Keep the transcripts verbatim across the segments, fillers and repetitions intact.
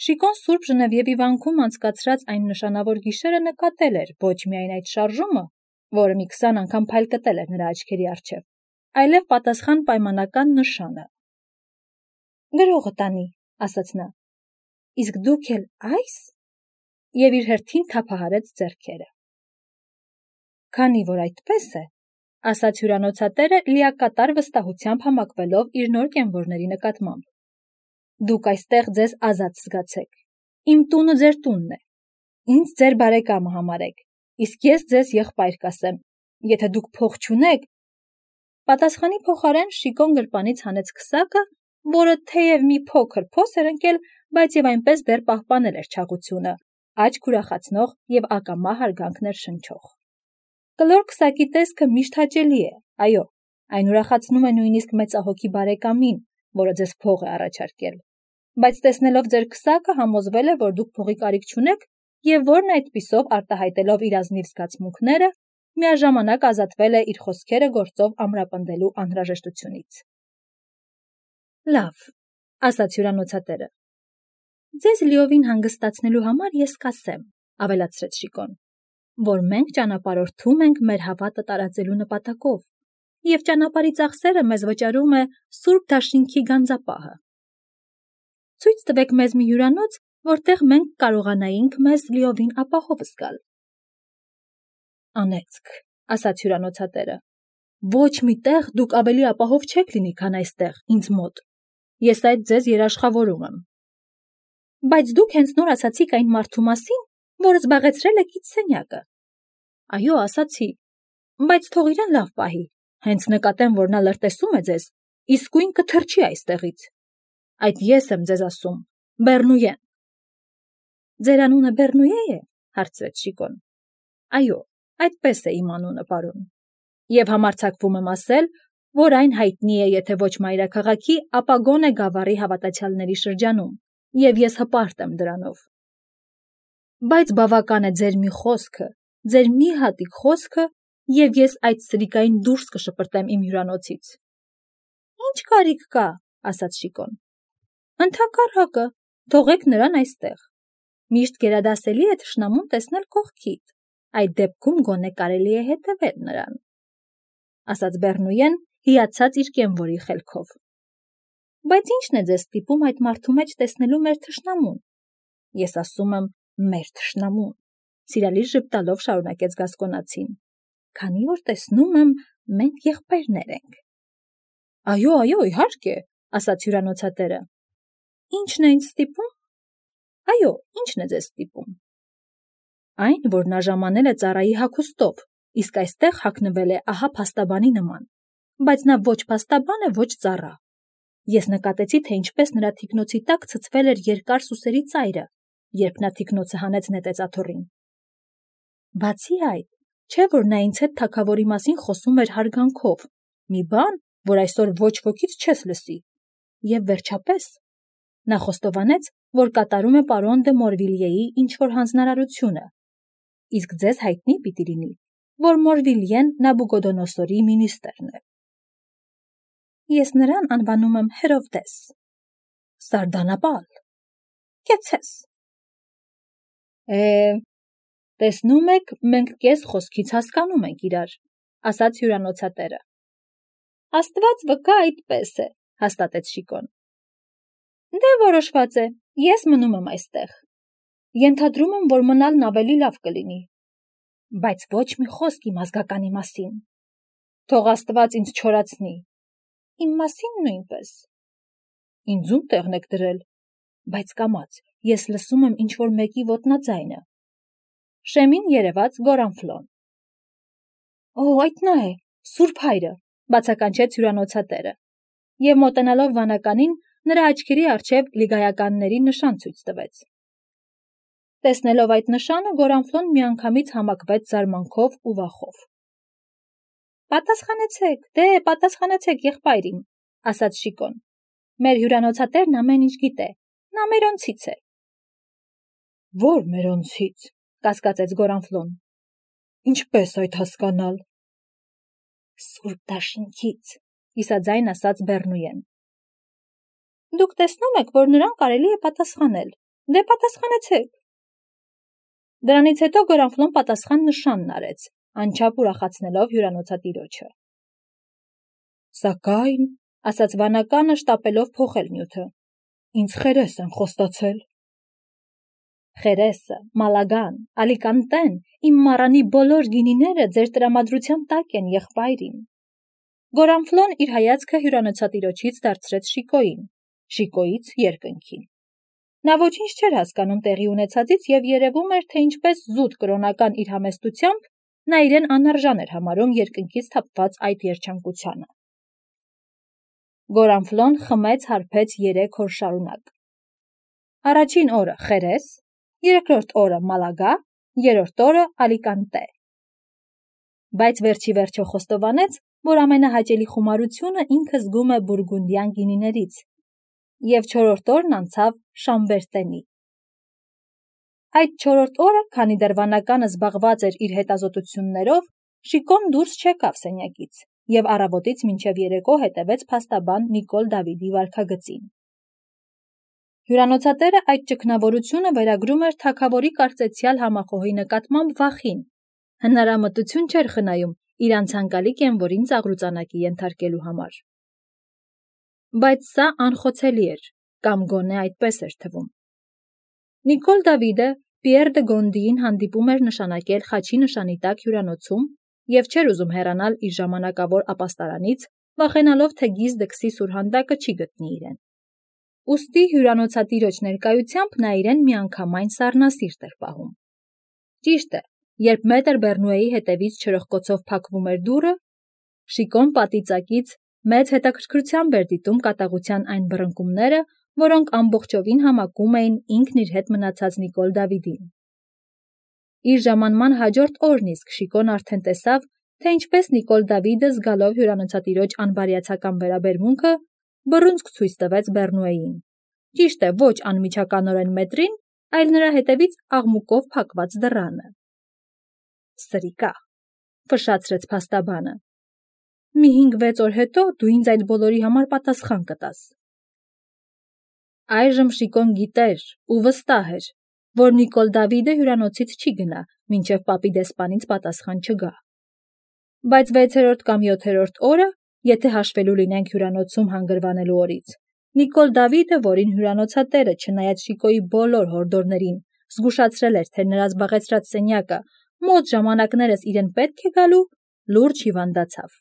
Շիկոն Սուրբ Ժնևիևի վանքում անցկացրած այն նշանավոր գիշերը նկատել էր ոչ միայն այդ շարժումը, որը մի քսան անգամ փայլ կտել էր նրա աչքերի առջև, այլև պատասխան պայմանական նշանը։ «Գրողը տանի», ասաց նա, «իսկ դուք էլ այս» և իր հերթին թափահարեց ձեռքերը։ «Քանի որ այդպես է», ասաց հյուրանոցատերը լիակատար վստահությամբ համակվելով իր նոր կենվորների նկատմամբ, «դուք այստեղ ձեզ ազատ զգացեք, իմ տունը ձեր տունն է, ինձ ձեր բարեկամը համարեք, իսկ ես ձեզ եղբայր կասեմ, եթե դուք փող չունեք…» Պատասխանի փոխարեն Շիկոն գրպանից հանեց քսակը, որը թեև մի փոքր փոս էր ընկել, բայց և այնպես դեռ պահպանել էր չաղությունը, աչք ուրախացնող և ակամա հարգանք ներշնչող։ Կլոր քսակի տեսքը միշտ հաճելի է, այո, այն ուրախացնում է նույնիսկ մեծահոգի բարեկամին, որը ձեզ փող է առաջարկել, բայց տեսնելով ձեր քսակը համոզվել է, որ դուք փողի կարիք չունեք և որն այդպիսով արտահայտելով իր ազնիվ զգացմունքները, միաժամանակ ազատվել է իր խոսքերը գործով ամրապնդելու անհրաժեշտությունից։ «Լավ», ասաց հյուրանոցատերը, «ձեզ լիովին հանգստացնելու համար ես կասեմ», ավելացրեց Շիկոն, «որ մենք ճանապարհորդում ենք մեր հավատը տարածելու նպատակով, և ճանապարհի ծախսերը մեզ վճարում է Սուրբ Դաշինքի գանձապահը։ Ցույց տվեք մեզ մի հյուրանոց, որտեղ մենք կարողանայինք մեզ լիովին ապահով զգալ»։ «Անեծք», ասաց հյուրանոցատերը, «ոչ մի տեղ դուք ավելի ապահով չեք լինի, քան այստեղ, ինձ մոտ, ես այդ ձեզ երաշխավորում եմ»։ «Բայց դուք հենց նոր ասացիք այն մարդու մասին, որը զբաղեցրել է գիծ սենյակը»։ «Այո, ասացի, բայց թող իրեն լավ պահի, հենց նկատեմ, որ նա լրտեսում է ձեզ, իսկույն կթռչի այստեղից։ Այդ ես եմ ձեզ ասում, Բեռնուեն»։ «Ձեր անունը Բեռնուե՞ է», հարցրեց Շիկոն։ «Այո, այդպես է իմ անունը, պարոն, և համարձակվում եմ ասել, որ այն հայտնի է եթե ոչ մայրաքաղաքի, ապա գոնե Գավառի հավատացյալների շրջանում, և ես հպարտ եմ դրանով։ Բայց բավական է ձեր մի խոսքը, ձեր մի հատիկ խոսքը, և ես այդ սրիկային դուրս կշպրտեմ իմ հյուրանոցից»։ «Ինչ կարիք կա», ասաց Շիկոն, «ընդհակառակը, թողեք նրան այստեղ, միշտ գերադասելի է թշնամուն տեսնել կողքիդ, այդ դեպքում գոնե կարելի է հետևել նրան», ասաց Բեռնուեն, հիացած իր կենվորի խելքով։ «Բայց ի՞նչն է ձեզ ստիպում այդ մարդու մեջ տեսնելու մեր թշնամուն»։ «Ես ասում եմ մեր թշնամուն», սիրալիր ժպտալով շարունակեց Գասկոնացին, «քանի որ տեսնում եմ, մենք եղբայրներ ենք»։ «Այո, այո, իհարկե», ասաց հյուրանոցատերը։ «Ի՞նչն է ինձ ստիպում»։ «Այո, ի՞նչն է ձեզ ստիպում»։ «Այն, որ նա ժամանել է ծառայի հագուստով, իսկ այստեղ հագնվել է ահա փաստաբանի նման, բայց նա ոչ փաստաբան է, ոչ ծառա։ Ես նկատեցի, թե ինչպես նրա թիկնոցի տակ ցցվել էր երկար սուսերի ծայրը, երբ նա թիկնոցը հանեց նետեց աթոռին։ Բացի այդ, չէ՞ որ նա ինձ հետ թագավորի մասին խոսում էր հարգանքով, մի բան, որ այսօր ոչ ոքից չես լսի։ Եվ վերջապես, նա խոստովանեց, որ կատարում է պարոն դե Մորվիլիեի ինչ-որ հանձնարարությունը, իսկ ձեզ հայտնի պիտի լինի, որ Մորվիլիեն Նաբուկոդոնոսորի մինիստրն է։ Ես նրան անվանում եմ Հերովդես։ Սարդանապալ։ Կեցես։ Է, տեսնում եք, մենք կես խոսքից հասկանում ենք իրար, ասաց հյուրանոցատերը։ Աստված վկա, այդպես է, հաստատեց Շիկոն։ Դե որոշված է, ես մնում եմ այստեղ։ Ենթադրում եմ, որ մնալն ավելի լավ կլինի, բայց ոչ մի խոսք իմ ազգականի մասին։ Թող Աստված ինձ չորացնի։ Իմ մասին նույնպես։ Ինձ ում տեղն եք դրել, բայց կամաց, ես լսում եմ ինչ-որ մեկի ոտնաձայնը։ Շեմին երևաց Գորանֆլոն։ Օ, այդ նա է, Սուրբ Հայրը, բացականչեց հյուրանոցատերը, և մոտենալով վանականին, նրա աչքերի առջև լիգայականների նշան ցույց տվեց։ Տեսնելով այդ նշանը, Գորանֆլոն միանգամից համակվեց զարմանքով ու վախով։ Պատասխանեցեք, դե պատասխանեցեք եղբայր իմ, ասաց Շիկոն։ Մեր հյուրանոցատերն ամեն ինչ գիտե, նա մերոնցից է։ Ո՞ր մերոնցից, կասկածեց Գորանֆլոն։ Ինչպես այդ հասկանալ։ Սուրբ Դաշինքից, իսաձայն ասաց Բեռնուեն։ Դուք տեսնում եք, որ նրան կարելի է պատասխանել, Դե պատասխանեցեք։ Դրանից հետո Գորանֆլոն պատասխան նշանն արեց, անչափ ուրախացնելով հյուրանոցատիրոջը։ Սակայն, ասաց վանականը շտապելով փոխել նյութը, ինձ խերես են խոստացել։ Խերեսը, Մալագան, Ալիկանտեն, իմ մառանի բոլոր գինիները ձեր տրամադրության տակ են, եղբայրին։ Գորանֆլոն իր հայացքը հյուրանոցատիրոջից դարձրեց Շիկոյին, Շիկոյից երկնքին։ Նա ոչինչ չէր հասկանում տեղի ունեցածից և երևում էր, թե ինչպես զուտ կրոնական իր համեստությամբ նա իրեն անարժան էր համարում երկնքից թափված այդ երջանկությանը։ Գորանֆլոն խմեց հարբեց երեք օր շարունակ։ Առաջին օրը խերես, երկրորդ օրը Մալագա, երրորդ օրը Ալիկանտե։ Բայց վերջի վերջո խոստովանեց, որ ամենահաճելի խումարությունը ինքը զգում է բուրգունդյան գինիներից, և չորրորդ օրն անցավ Շամբերտենի։ Այդ չորրորդ օրը, քանի դեռ վանականը զբաղված էր իր հետազոտություններով, Շիկոն դուրս չեկավ սենյակից և առավոտից մինչև երեկո հետևեց փաստաբան Նիկոլ Դավիդի վարքագծին։ Հյուրանոցատերը այդ ճգնավորությունը վերագրում էր թագավորի կարծեցյալ համախոհի նկատմամբ վախին, հնարամտություն չէր խնայում իր անցանկալի կենվորին ծաղրուծանակի ենթարկելու համար։ Բայց սա անխոցելի էր, կամ գոնե այդպես էր թվում։ Նիկոլ Դավիդը Պիեր դը Գոնդիին հանդիպում էր նշանակել խաչի նշանի տակ հյուրանոցում և չէր ուզում հեռանալ իր ժամանակավոր ապաստարանից, վախենալով, թե գիզդը քսի սուրհանդակը չի գտնի իրեն։ Ուստի հյուրանոցատիրոջ ներկայությամբ նա իրեն միանգամայն սառնասիրտ էր պահում։ Ճիշտ է, երբ մետր Բեռնուեի հետևից չրοχկոցով փակվում էր դուռը, Շիկոն պատից մեծ հետաքրքրությամբ էր դիտում կատաղության այն բռնկումները, որոնք ամբողջովին համակում էին ինքն իր հետ մնացած Նիկոլ Դավիդին։ Իր ժամանման հաջորդ օրն իսկ Շիկոն արդեն տեսավ, թե ինչպես Նիկոլ Դավիդը, զգալով հյուրանոցատիրոջ անբարյացակամ վերաբերմունքը, բռունցք ցույց տվեց Բեռնուեին։ Ճիշտ է, ոչ անմիջականորեն մետրին, այլ նրա հետևից աղմուկով փակված դռանը։ Սրիկա, ֆշշացրեց փաստաբանը։ Մի հինգ-վեց օր հետո դու ինձ այդ բոլորի համար պատասխան կտաս։ Այժմ Շիկոն գիտեր ու վստահ էր, որ Նիկոլ Դավիդը հյուրանոցից չի գնա, մինչև պապի դեսպանից պատասխան չգա։ Բայց վեցերորդ կամ յոթերորդ օրը, եթե հաշվելու լինենք հյուրանոցում հանգրվանելու օրից, Նիկոլ Դավիդը, որին հյուրանոցատերը, չնայած Շիկոյի բոլոր հորդորներին, զգուշացրել էր, թե նրա զբաղեցրած սենյակը մոտ ժամանակներս իրեն պետք է գալու, լուրջ հիվանդացավ։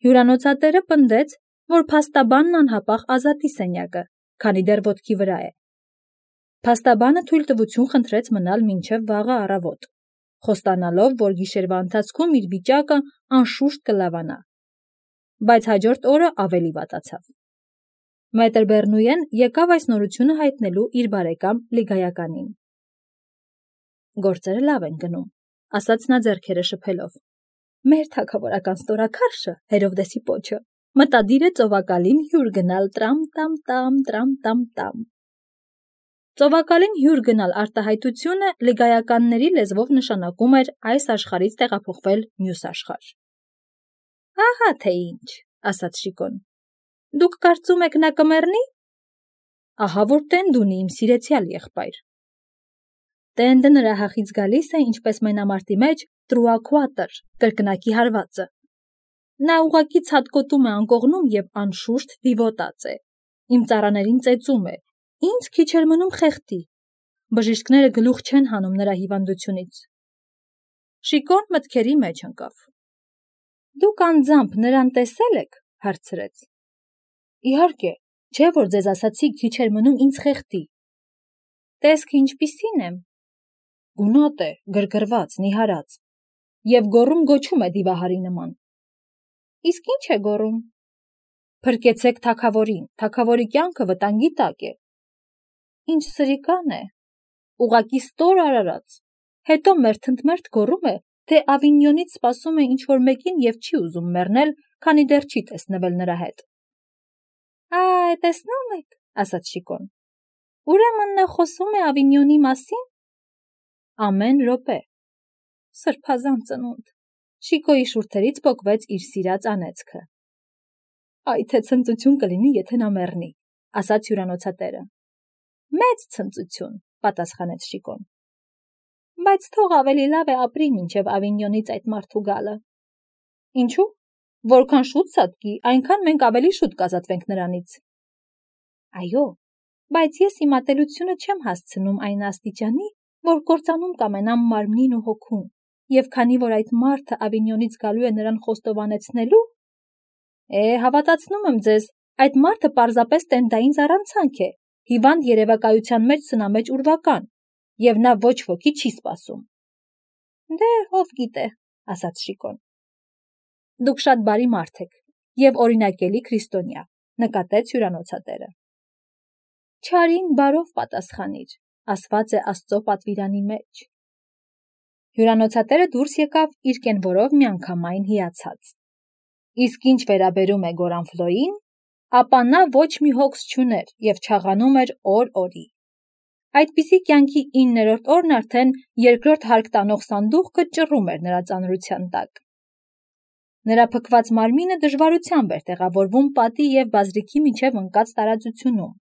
Հյուրանոցատերը պնդեց, որ փաստաբանն անհապաղ ազատի սենյակը, քանի դեռ ոտքի վրա է։ Փաստաբանը թույլտվություն խնդրեց մնալ մինչև վաղը առավոտ, խոստանալով, որ գիշերվա ընթացքում իր վիճակը անշուշտ կլավանա։ Բայց հաջորդ օրը ավելի վատացավ։ Մետր Բեռնուեն եկավ այս նորությունը հայտնելու իր բարեկամ Լիգայականին։ Գործերը լավ են գնում, ասաց նա ձեռքերը շփելով։ Մեր թագավորական ստորաքարշը, Հերովդեսի պոչը, մտադիր է ծովակալին հյուր գնալ տրամ-տամ-տամ, տրամ-տամ-տամ։ Ծովակալին հյուր գնալ արտահայտությունը լիգայականների լեզվով նշանակում էր այս աշխարհից տեղափոխվել մյուս աշխարհ։ Ահա թե ինչ, ասաց Շիկոն։ Դուք կարծում եք նա կմեռնի։ Ահա որ տենդ ունի իմ սիրեցյալ եղբայր։ Տենդը նրա հախից գալիս է, ինչպես մենամարտի մեջ տրուակուատր, կրկնակի հարվածը։ Նա ուղղակի ցատկոտում է անկողնում և անշուշտ դիվոտած է։ Իմ ծառաներին ծեծում է, ինձ քիչ էր մնում խեղդի։ Բժիշկները գլուխ չեն հանում նրա հիվանդությունից։ Շիկոն մտքերի մեջ ընկավ։ Դուք անձամբ նրան տեսել եք, հարցրեց։ Իհարկե, չէ որ ձեզ ասացի քիչ էր մնում ինձ խեղդի։ Տեսքը ինչպիսին եմ։ Գունատ է, գրգռված, նիհարած, և գոռում գոչում է դիվահարի նման։ Իսկ ինչ է գոռում։ Փրկեցեք թագավորին, թագավորի կյանքը վտանգի տակ է։ Ինչ սրիկան է, ուղղակի ստոր արարած, հետո մերթընդմերթ գոռում է, թե Ավինյոնից սպասում է ինչ-որ մեկին և չի ուզում մեռնել, քանի դեռ չի տեսնվել նրա հետ։ Այ, տեսնում եք, ասաց Շիկոն, ուրեմն նա խոսում է Ավինյոնի մասին։ Ամեն րոպե։ Սրբազան ծնունդ։ Շիկոյի շուրթերից պոկվեց իր սիրած անեծքը։ Այ թե ցնծություն կլինի, եթե նա մեռնի, ասաց հյուրանոցատերը։ Մեծ ցնծություն, պատասխանեց Շիկոն։ Բայց թող ավելի լավ է ապրի մինչև Ավինյոնից այդ մարդու գալը։ Ինչու՞։ Որքան շուտ սատկի, այնքան մենք ավելի շուտ կազատվենք նրանից։ Այո, բայց ես իմ ատելությունը չեմ հասցնում այն աստիճանի, որ կործանում կամենամ մարմնին ու հոգուն, եւ քանի որ այդ մարդը Ավինյոնից գալու է նրան խոստովանեցնելու, է, հավատացնում եմ ձեզ, այդ մարդը պարզապես տենդային զառանցանք է, հիվանդ երևակայության մեջ սնամեջ ուրվական, եւ նա ոչ ոքի չի սպասում։ Դե, ով գիտե, ասաց Շիկոն։ Դուք շատ բարի մարդ եք եւ օրինակելի քրիստոնյա, նկատեց հյուրանոցատերը։ Չարին բարով պատասխանիր, ասված է Աստծո պատվիրանի մեջ։ Հյուրանոցատերը դուրս եկավ իր կենվորով միանգամայն հիացած։ Իսկ ինչ վերաբերում է Գորանֆլոյին, ապա նա ոչ մի հոգս չուներ եւ չաղանում էր օր-օրի։ Այդպիսի կյանքի իններորդ օրն արդեն երկրորդ հարկ տանող սանդուղքը ճռում էր նրա ծանրության տակ։ Նրա փքված մարմինը դժվարությամբ էր տեղավորվում պատի եւ բազրիքի միջև ընկած տարածությունում։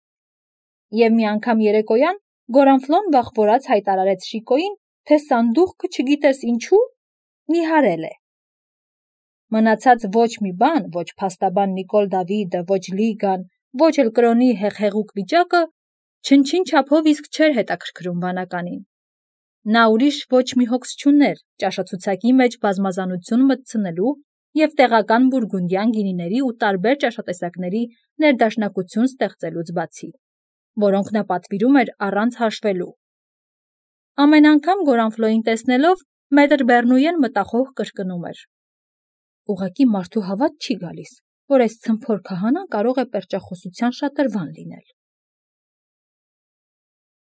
Եվ մի անգամ երեկոյան Գորանֆլոն վախվորած հայտարարեց Շիկոյին, թե սանդուղքը չգիտես ինչու նիհարել է։ Մնացած ոչ մի բան, ոչ փաստաբան Նիկոլ Դավիդը, ոչ Լիգան, ոչ էլ կրոնի հեղեղուկ վիճակը չնչին չափով իսկ չէր հետաքրքրում բանականին։ Նա ուրիշ ոչ մի հոգս չուներ ճաշացուցակի մեջ բազմազանություն մտցնելու եւ տեղական բուրգունդյան գինիների ու տարբեր ճաշատեսակների ներդաշնակություն ստեղծելուց բացի, որոնք նա պատվիրում էր առանց հաշվելու։ Ամեն անգամ Գորանֆլոյին տեսնելով մետր Բեռնույեն մտախոհ կրկնում էր. Ուղղակի մարդու հավատ չի գալիս, որ այս ցմփոր քահանան կարող է պերճախոսության շատրվան լինել։